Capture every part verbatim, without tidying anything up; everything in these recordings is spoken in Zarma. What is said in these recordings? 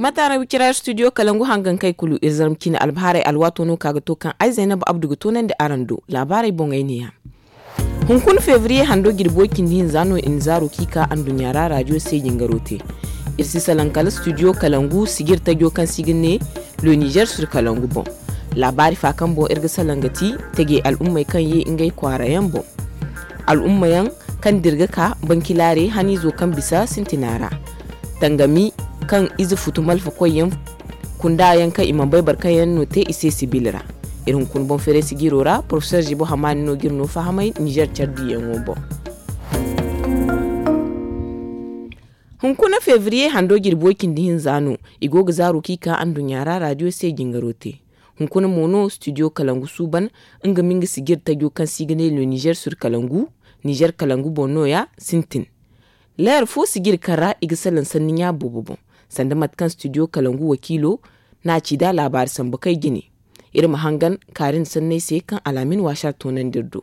Mate araŋ wicira iri studio kalangu hangankey kulu iri zarma cine albahaarey alwaato no ka ga to kaŋ ay zaynab abdu ga toonandi araŋ do. Laabaarey boŋey neeya. Hunkuna febriye hando jirbi way cindi hinza no i na zaaro kaŋ i ka anduɲɲa ra raadiyo se jingaro te. Iri si salaŋ kala studio kalangu sijir tajo kaŋ se i ga ne le nizer sur kalangu boŋ. Laabaari fa kaŋ boŋ iri ga salaŋ ga ti, tajey al'ummey kaŋ ye ngey kwaara yaŋ boŋ. Al'umma yaŋ kaŋ dirga ka bankilaare haniizo kaŋ bisa sintina ra. Tangami kaŋ ize futu malfa koyyaŋ kunda yaŋ kaŋ i mana bay boro kaŋ yaŋ no te i se sibil ra. Iri hunkuna boŋ feeray sijiro ra porofesor zibo hamaani no ga iri no fahamay nizer care diyaŋo boŋ. Hunkuna febriye hando jirbi way cindi hinza no i go ga zaaro kaŋ i ka anduɲɲa ra raadiyo se jingaro te. Hunkuna mo no studio kalangu suuban nga ma nga sijir tajo kaŋ se i ga ne le nizer sur kalangu, nizer kalangu boŋ nooya sintin. Leer fo sijir kaŋ ra i ga salaŋ sanni ɲa boobo boŋ. Sanda mate kaŋ studio kalangu wakiilo n'a ci nd'a laabaari sambu kay jine. Iri ma hangan kaari nda sanney se kaŋ alaamin waasar toonandi iri do.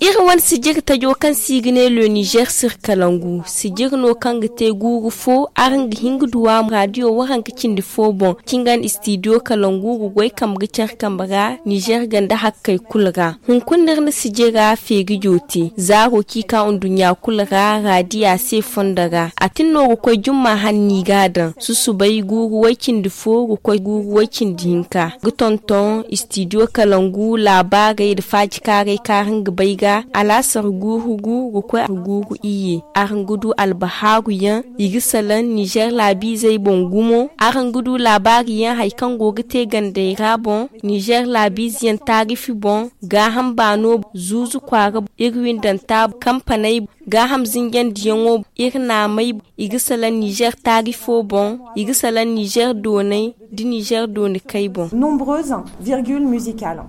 Iri wane sijir tajo kaŋ se i ga ne le nizer sur kalangu sijir no kaŋ ga te guuru fo araŋ ga hin ga du a raadiyo waranka cindi fo boŋ. Cingan istidiyo kalangu ga goy kambe ga care kambe ra nizer ganda hakkey kulu ra. Hunkuna iri na sijira feeri jooti zaaro kaŋ i ka nduɲɲa kulu ra raadiya se fondo ra a tin no ga koy jumma hanni ga a daŋ susubay guuru way cindi fo ga koy guuru way cindi hinka ga tonton istidiyo kalangu laabaarey nda faajikaaray kaŋ araŋ ga bay ga alaasar guuru gu ga koy guuru iyye. Araŋ ga du albahaaru yaŋ i ga salaŋ nizer laabiizey boŋ gumo. Araŋ ga du laabaari yaŋ hari kaŋ go ga te gandey ra boŋ nizer laabiize yaŋ taarifi boŋ gaaham baano zuuzu kwaara iri windanta kampaney gaaham zinjandiyaŋo iri naamey i ga salaŋ nizer taarifo boŋ i ga salaŋ nizer doonay nda nizer dooni kay boŋ. Nombreuses virgules musicales.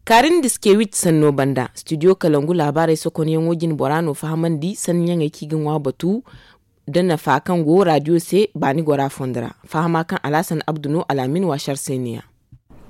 Kaari nda diskewit sanno banda studio kalangu laabaarey sokonyaŋo jine bora no fahamandi sanniyaŋey kaŋ i ga ŋwa batu da nafa kaŋ go raadiyo se baani gora fondo ra. Fahama kaŋ alaasan abdu no alaamin waasar se neeya.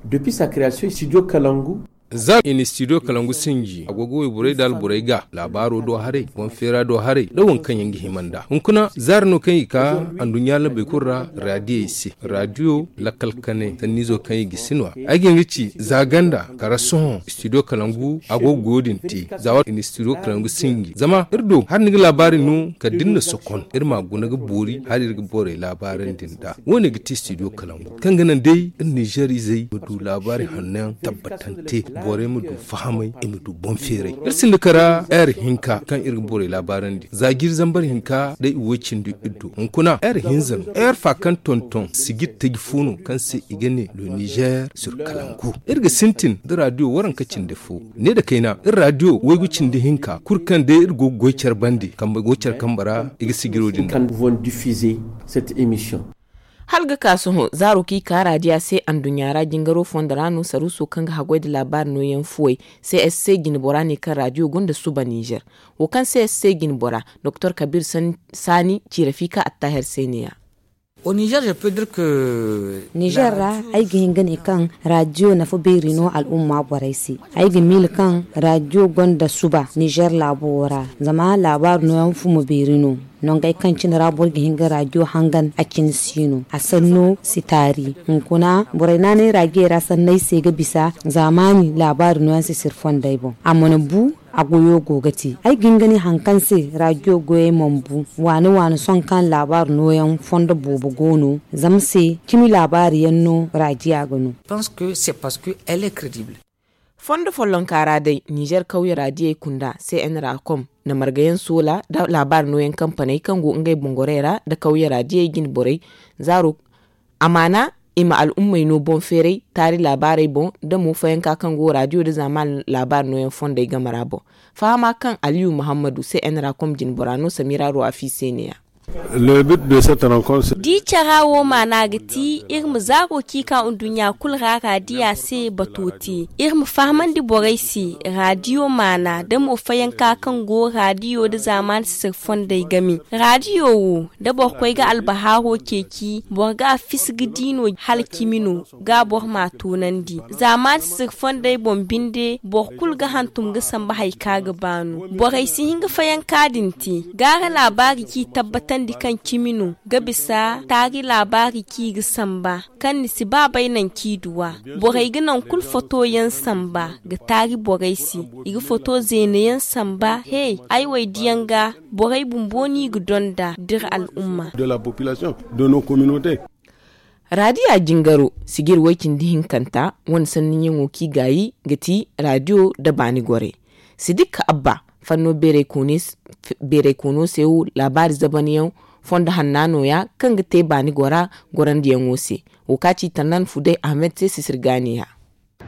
Depuis sa création studio kalangu. Za i na studio kalangu sinji a go ga wayborey nda alborey ga laabaaro do haray boŋ feera do haray nda waŋ kaŋ yaŋ ga hima nd'a hunkuna zaari no kaŋ i ka anduɲɲa labey kulu ra raadiyey se. Raadiyo lakkal kane sanniizo kaŋ i ga sinwa ay ga nga ci za ganda kara sohõ studio kalangu a go ga goyo din te za waati i na studio kalangu sinji zama iri do hari ni ga laabaari no kala da ni na sokon iri ma a guna ga boori hari iri ga borey laabaarandi nd'a. Wo- ne ga ti studio kalangu kaŋ ga naŋ day iri nizer izey ma du laabaari hanno yaŋ tabbatante borey ma du fahamay i ma du boŋ feeray. Iri sinda kara heure hinka kaŋ iri ga borey laabaarandi za jiiri zambar hinka day i woy cindi iddu hunkuna heure hinza no heure fa kaŋ tonton sijir taji fo no kaŋ se i ga ne le nizer sur kalangu. Iri ga sintin nda raadiyo waranka cindi fo ne nda kayna iri raadiyo waygu cindi hinka kulu kaŋ day iri go ga goy care bande kambe go care kambe ra i ga sijiro din. Hala ga ka sohõ zaaro kaŋ i ka raadiya se anduɲɲa ra jingaro fondo ra no saruuso kaŋ ga haggoy nda laabaari nooyaŋ fuwey. C S C jine bora ne kaŋ raadiyo gonda suba nizer wo kaŋ C S C jine bora doktor kabir saani ci rafika attaher se neeya. Nizer ra ay ga hin ga ne kaŋ raadiyo nafa beeri no al'umma borey se. Ay ga miila kaŋ raadiyo gonda suba nizer laabo wo ra zama laabaari nooyaŋ fumo beeri no. Nongey kaŋ cine ra boro ga hin ga raadiyo hangan a cine si no a sanno si taari. Hunkuna borey naanay raajiyey ra sanney se ga bisa zaamaani laabaari nooyaŋ si siri fondey boŋ a mana bu. A goyo go ga te ay ga hin ga ne hari kaŋ se raadiyo goyey mana bu waani waani sohõ kaŋ laabaari nooyaŋ fondo boobo go no. Zama se cimi laabaari yaŋ no raadiya ga no. Fondo follonka ra day nizer kawye raadiyey kunda c n ra kom na margayaŋ soola nda laabaari nooyaŋ kampaney kaŋ go ngey boŋ gorey ra nda kawye raadiyey jine borey zaaro amaana i ma al'ummey no boŋ feeray taari laabaarey boŋ nda mo fayanka kaŋ go raadiyo nda zaamaani laabaari nooyaŋ fondey game ra boŋ. Fahama kaŋ aliyu muhammadu c n ra kom jine bora no samira ruwafi se neeya. Da i cara wo maana ga ti iri ma zaaro ci ka nduɲɲa kulu ra raadiya se bato te iri ma fahamandi borey se raadiyo maana da mo fayanka kaŋ go raadiyo nda zaamaani sisir fondey game. Raadiyo wo da boro koy ga albahaaro ceeci boro ga a fisi ga di no hala cimi no ga boro m'a toonandi. Zaamaani sisir fondey boŋ binde boro kulu ga hantum ga samba hari kaŋ a ga ba no borey si hin ga fayanka din te gaara laabaari ci tabbatandi. Kaŋ cimi no ga bisa taari laabaari kaŋ i ga samba, kaŋ ni si ba bay naŋ kaŋ i du a. Borey ga naŋ kulu foto yaŋ samba ga taari borey se. I ga foto zeena yaŋ samba he. Ay wo ay diyaŋ ga borey bumbo no i ga donda d'iri al'umma. De la population de nos communautés. Raadiya jingaro sijir way-cindi hinkanta wane sanniyaŋo kaŋ i gaayi ga ti raadiyo nda baani gorey. Sidik abba fanno beeray koono se wo laabaari zabanyaŋ fondo hanna nooya kaŋ ga te baani gora gorandiyaŋo se. Wo kaŋ a ci tannan fuday ahmed se sisir gaaniya.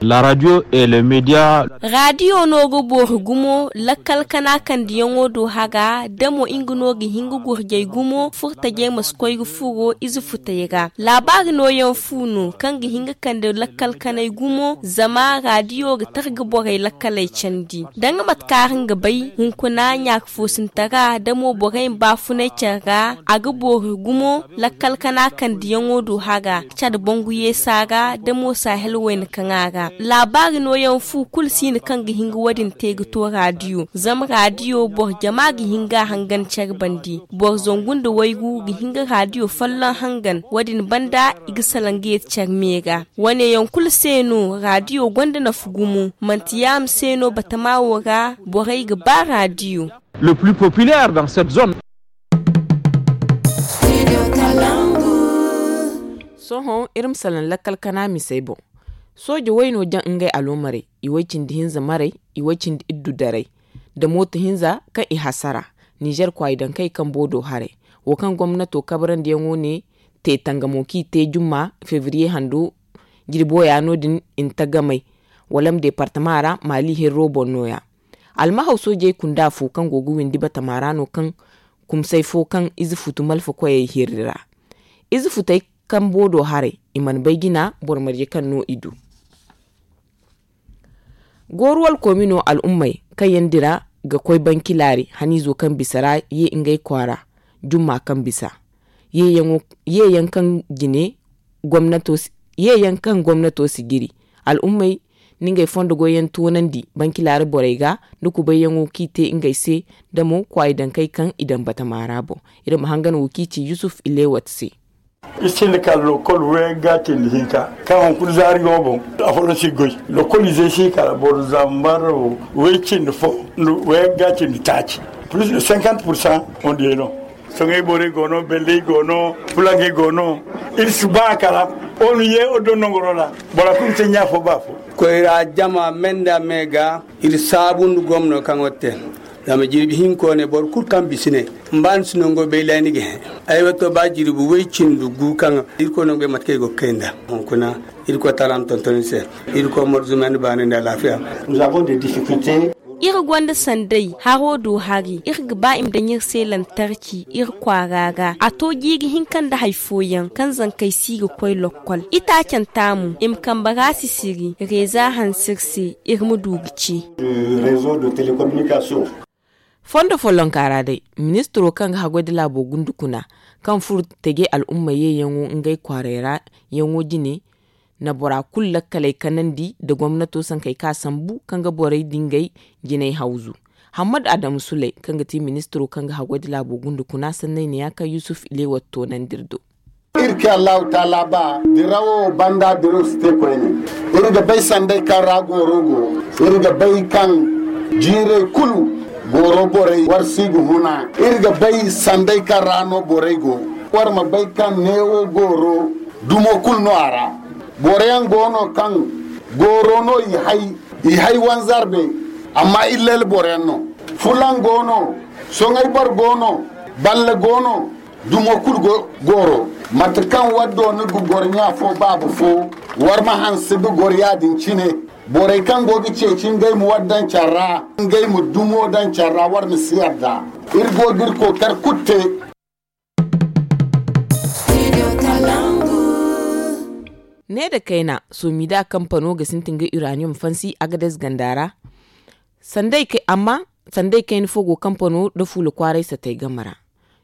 La radio et le media. Raadiyo no ga boori gumo lakkal kana kandiyaŋo do haga da mo nga no ga hin ga gurjay gumo furtajey ma si koy ga furo ize futey ra. Laabaari nooyaŋ fu no kaŋ ga hin ga kande lakkal kanay gumo zama raadiyo ga targa borey lakkaley candi da nga mate kaŋ araŋ ga bay hunkuna ɲaaka foosintara da mo borey ma baafunay care ra a ga boori gumo lakkal kana kandiyaŋo do haga care bangu yeesa ra da mo sahel wayna kaŋa ra. Laabaari nooyaŋ fu kulu si no kaŋ ga hin ga wo-din te ga to raadiyo zama raadiyo boro jama ga hin ga a hangan care bande. Boro zangu nda waygu ga hin ga raadiyo folloŋ hangan wo-din banda i ga salaŋ ga yeeti care me ra. Wane yaŋ kulu se no raadiyo gonda nafa gumo manti yaama se no batama wo ra borey ga ba raadiyo. Le plus populaire dans cette zone. Sohõ iri ma salaŋ lakkal kana misey boŋ. Sooje wayno jaŋ ngey aloomarey i way cindi hinza marey i way cindi iddu daray nda mooto hinza kaŋ i hasara ninzeer kwaayi daŋ kaŋ i kambo do haray. Wo kaŋ gomnato kabarandiyaŋo ne te tangamo kaŋ i te jumma febriye hando jirbo ya no- din i na tagamay walam deepartama ra maali hirro boŋ nooya. Almahaw soojey kunda fo kaŋ go ga windi batama ra no kaŋ kumsay fo kaŋ ize futu malfa koyey hirri ra. Ize futey kambo do haray i mana bay jina boro marje kaŋ no i du. Gooru wala koomino al'ummey kaŋ yaŋ dira ga koy banki laari haniizo kaŋ bisa ra ye ngey kwaara jumma kaŋ bisa. Yeeyaŋ kaŋ jine gomnato si yeeyaŋ kaŋ gomnato si jiri al'ummey na ngey fondo goyyaŋ toonandi banki laari borey ga nda kubayyaŋo kaŋ i te ngey se nda mo kwaayi dankey kaŋ i daŋ batama ra boŋ. Iri ma hangan wo kaŋ i ci yusuf ilewat se. Iri sinda kala lokol wayagga cindi hinka kaŋ hunkuna zaari go boŋ. Afooyaŋ si goy lokol izey si kala boro zambar way cindi fo nda wayagga cindi taaci plus de cinquante pour cent on dirait no. Soŋay borey go no belley go no, fulaŋey go no. Iri si ba kala onu ye o do nongoro ra. Bora kulu se ɲa fo ba fo. Koyra jama me nda me ga iri saabu nda gomno kaŋ o te. Zama jirbi hinko ne boro kulu kaŋ bisi ne mba ni si nango bay lay ni ga he. Ay wato ba jirbi way cindi gu kaŋ irkoy nango bay mate kaŋ i go ga kay nda hunkuna. Irkoy taala ma tonton iri se. Irkoy marzume nda baani nda alaafiya. Nous avons des difficultés. Iri gonda sanday haro do hari iri ga ba i ma daŋ iri se lantarki iri kwaara ra a to jiiri hinka nda hari fooyaŋ kaŋ zankey si ga koy lokkol itaacanta mo i ma kambe ra sisiri reeza hanse iri se iri ma du ga ci. Fondo follonka ra day ministiro kaŋ ga haggoy nda laabo gundu kuna kaŋ furo teje al'umma yeeyaŋo ngey kwaaray ra yaŋo jine na bora kulu lakkaley kanandi nda gomnato sankey kaŋ a sambu kaŋ ga borey dingey jinay hawzu. Hammad adamu suley kaŋ ga ti ministiro kaŋ ga haggoy nda laabo gundu kuna sanney ne ya kaŋ yusuf ilewat toonandi iri do. Iri ka allahu taala ba dirawo banda diraw si te koyne. Iri ga bay sanday kaŋ ra gooro go. Iri ga bay kaŋ jiirey kulu gooro borey war si ga huna. Iri ga bay sanday kaŋ ra no borey go. War ma bay kaŋ neewo gooro dumo kulu no a ra. Boro yaŋ go no kaŋ gooro no i hay i hay wanzarbe. Amma illel boro yaŋ no. Fulaŋ go no. Soŋay boro go no. Balle go no. Dumo kulu gooro mate kaŋ waddo ni ga goro ɲa fo baaba fo. War ma hanse ga goro ya- din cine. Borey kaŋ go ga ceeci ngey ma war daŋ care ra ngey ma dumo daŋ care ra war ma si yarda. Iri go ga iri kookari kulu te. Ne nda kayna soomida kampano ga sintin ga uranium fansi agades ganda ra. Amma sanday kayna fo go kampano nda fuula kwaaray satay game ra.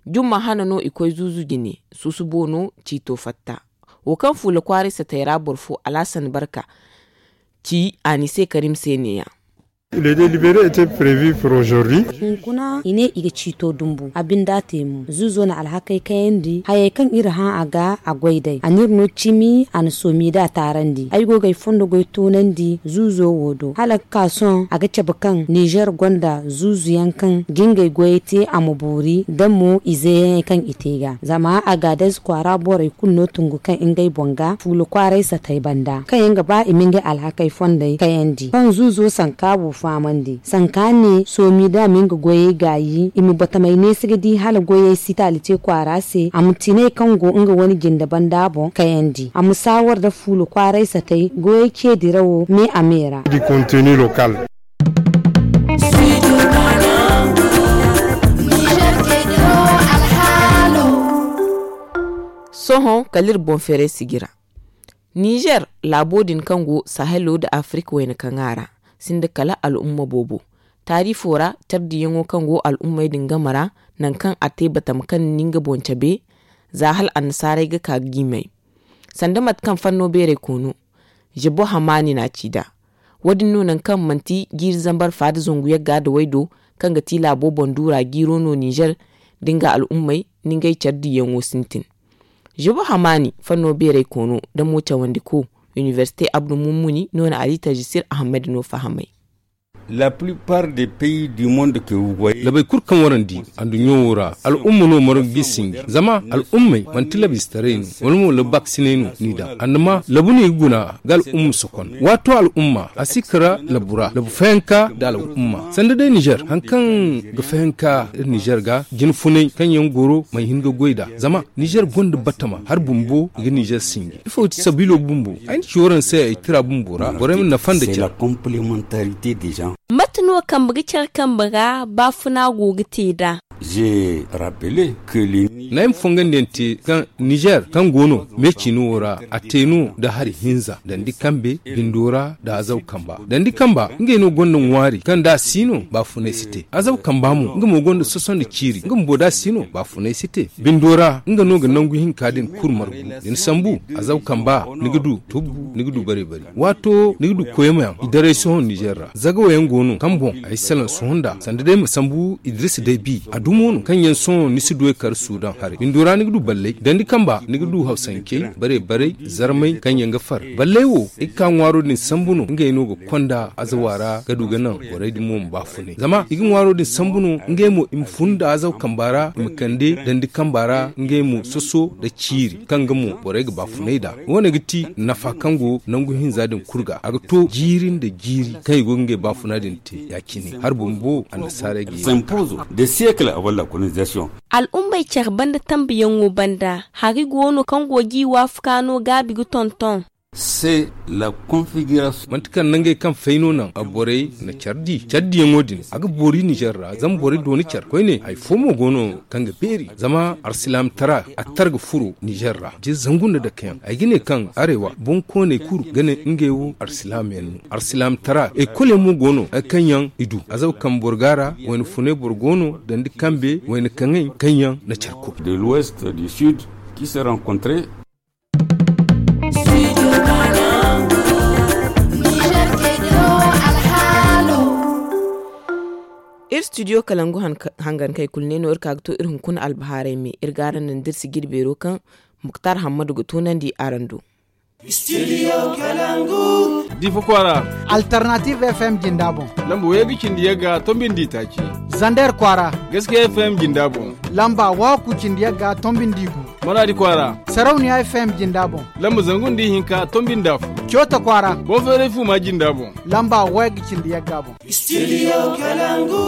Jumma hana no i koy zuuzu jine suusubo no ciito fatta. Wo kaŋ fuula kwaaray satay ra boro fo alaasan barka ci a ni se karim se ne- ya. Le délibéré était prévu pour aujourd'hui. Hunkuna i ne i ga ciito dumbu a binda te mo zuuzo na alhakey kayandi hayey kaŋ iri hã a ga a goy day a n'iri no cimi a na soomi da taarandi ay go ga ay fondo goy toonandi zuuzo wo do hala ga ka sohõ a ga cabe kaŋ nizer gonda zuuzuyaŋ kaŋ ga ngey goyey te a ma boori da mo izeyaŋey kaŋ i te ga zama a ga adez kwaara borey kulu no tungu kaŋ ngey boŋ ga fuula kwaaray satey banda kaŋ yaŋ ga ba i ma ngey alhakey fondey kayandi kaŋ zuuzo sanka bu fahamandi sanka ne soomi da a ma nga goyey gaayi i ma batamey neesi ga di hala goyey si taali te kwaara se a ma tinay kaŋ go nga wane jinde banda boŋ kayandi a ma saawar nda fuula kwaaray satey goyey ce dirawo me a me ra. Sohõ kala iri boŋ feeray sijira nizer laabo din kaŋ go sahelo nda afirika wayna kaŋ a ra sinda kala al'umma boobo taarifo ra care diyaŋo kaŋ go al'ummey din game ra nangu kaŋ a te batama kaŋ ni nga boŋ cabe za hala annasaarey ga ka ga jiimay sanda mate kaŋ fanno beeray koono zebo hamaani na a ci nd'a wo- din no nangu kaŋ manti jiiri zambar faada zangu yagga nda waydo kaŋ ga ti laabo boŋ duura jiiro no nizer nda nga al'ummey nda ngey care diyaŋo sintin zebo hamaani fanno beeray koono nda mo cawandiko inibersite abdu mummuni no na ali tajisir ahammadi no fahamay. Labay kulu kaŋ warandi anduɲɲo wo ra al'umma no margu g'i sinji zama al'ummey manti labistaray no wala mo labaksinay no n'i daŋ annama labu no i ga guna ga al'umma sokon waato al'umma a si kara labu ra labu fayanka nda al'umma sanda day nizer hari kaŋ ga fayanka iri nizer ga jinfunay kaŋ yaŋ goro mana hin ga goy nd'a zama nizer gonda batama hari bumbo i ga nizer sinji ifo ti sabiilo bumbo ay na ci waraŋ se ay tira bumbo ra borey ma nafa nda care. Mate no kambe ga care kambe ra baafuna go ga te nd'a? N'ay ma fongandiyaŋ te kaŋ nizer kaŋ go no me ciino wo ra a te no nda hari hinza dandi kambe bindo ra nda azaw kamba dandi kamba ngey no gonda ŋwaari kaŋ da a si no baafunay si te azaw kamba mo nga mo gonda soso nda ciiri nga bumbo da a si no baafunay si te bindo ra nga no ga nangu hinka din kulu margu da ni sambu azaw kamba ni ga du tubbu ni ga du bare bare waato ni ga du koyma yaŋ i daray sohõ nizer ra zagawa yaŋ go no kaŋ boŋ ay salaŋ sohõ nd'a sanda day ma sambu idris day bi a dumo no kaŋ yaŋ sohõ ni si du ay kar sudan haray bindo ra ni ga du ballay dandi kamba ni ga du hawsancey bare bare zarmay kaŋ yaŋ ga far ballay wo i ga ka ŋwaaro din sambu no ngey no ga konda azawa ra ga du ga naŋ borey din mo ma baafunay zama i ga ŋwaaro din sambu no ngey mo i ma fun nda azaw kamba ra i ma kande dandi kamba ra ngey mo soso nda ciiri kaŋ ga mo borey ga baafunay nd'a wo- ne ga ti nafa kaŋ go nangu hinza din kulu ga a ga to jiiri nda jiiri kaŋ i go ga ngey baafuna din te ya- cine hari bumbo annasaarey ga ye ga ka. Al'ummey care banda tambuyaŋo banda hari go no kaŋ go g'i waafakaa no gaabi ga tonton? Manti kala nangey kaŋ fay no naŋ borey na care di care diyaŋo din a ga boori nizer ra zama borey dooni care koyne hari fo mo go no kaŋ ga beeri zama alsilaamtara a tar ga furo nizer ra je zangu nda dake yaŋ ay ga ne kaŋ arewa boŋkooney kulu ga ne ngey wo alsilaam yaŋ no alsilaamtara ekol yaŋ mo go no hari kaŋ yaŋ i du azaw kaŋ boro ga a ra wayna funay boro go no dandi kambe wayna kaŋey kaŋ yaŋ na care kuru. Iri studio kalangu hangankey kulu ne no iri ka ga to iri hunkuna albahaarey me iri ga araŋ naŋ da iri si jirbeero kaŋ muktar hammadu ga toonandi araŋ do. Difa kwaara. Alternative f m jinda boŋ. Lamba wayga cindi yagga tombindi taaci. Zander kwaara. Gaskiya f m jinda boŋ. Lamba waku cindi yagga tombindi gu. Maradi kwaara. Sarauniya f m jinda boŋ. Lamba zangu nda ihinka tombindi afo. Coota kwaara. Boŋ feeray fu ma jinda boŋ. Lamba wayga cindi yagga boŋ. Studio kalangu.